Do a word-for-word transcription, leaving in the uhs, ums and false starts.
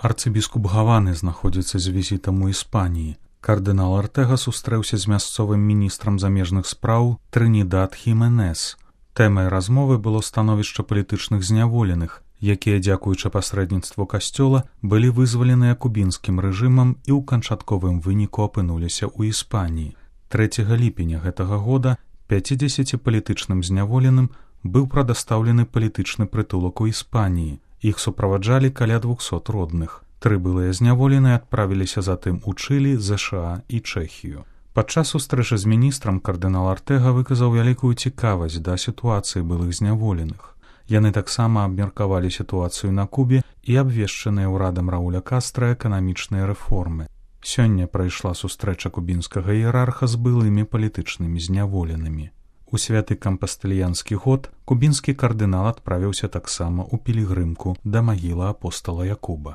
Арцыбіскуп Гаваны знаходзіцца з візітам у Іспаніі. Кардынал Артэга сустрэўся з мясцовым міністрам замежных спраў Трынідад Хіменес. Тэмай размовы было становішча палітычных зняволеных, якія, дзякуючы пасрэдніцтву касцёла, былі вызваленыя кубінскім рэжымам і ў канчатковым выніку апынуліся ў Іспаніі. трэцяга ліпеня гэтага года пяцідзесяці палітычным зняволеным быў прадастаўлены палітычны прытулак у Іспаніі. Іх суправаджалі каля двухсот родных. Тры былыя зняволеныя адправіліся затым у Чылі, ЗША і Чэхію. Падчас сустрэчы з міністрам кардынал Артэга выказаў вялікую цікавасць да сітуацыі былых зняволеных. Яны таксама абмеркавалі сітуацыю на Кубе і абвешчаныя ўрадам Рауля Кастра эканамічныя рэформы. Сёння прайшла сустрэча кубінскага іерарха з былымі палітычнымі зняволенымі. У святы кампастэльянскі год кубінскі кардынал адправіўся таксама ў пілігрымку да магілы апостала Якуба.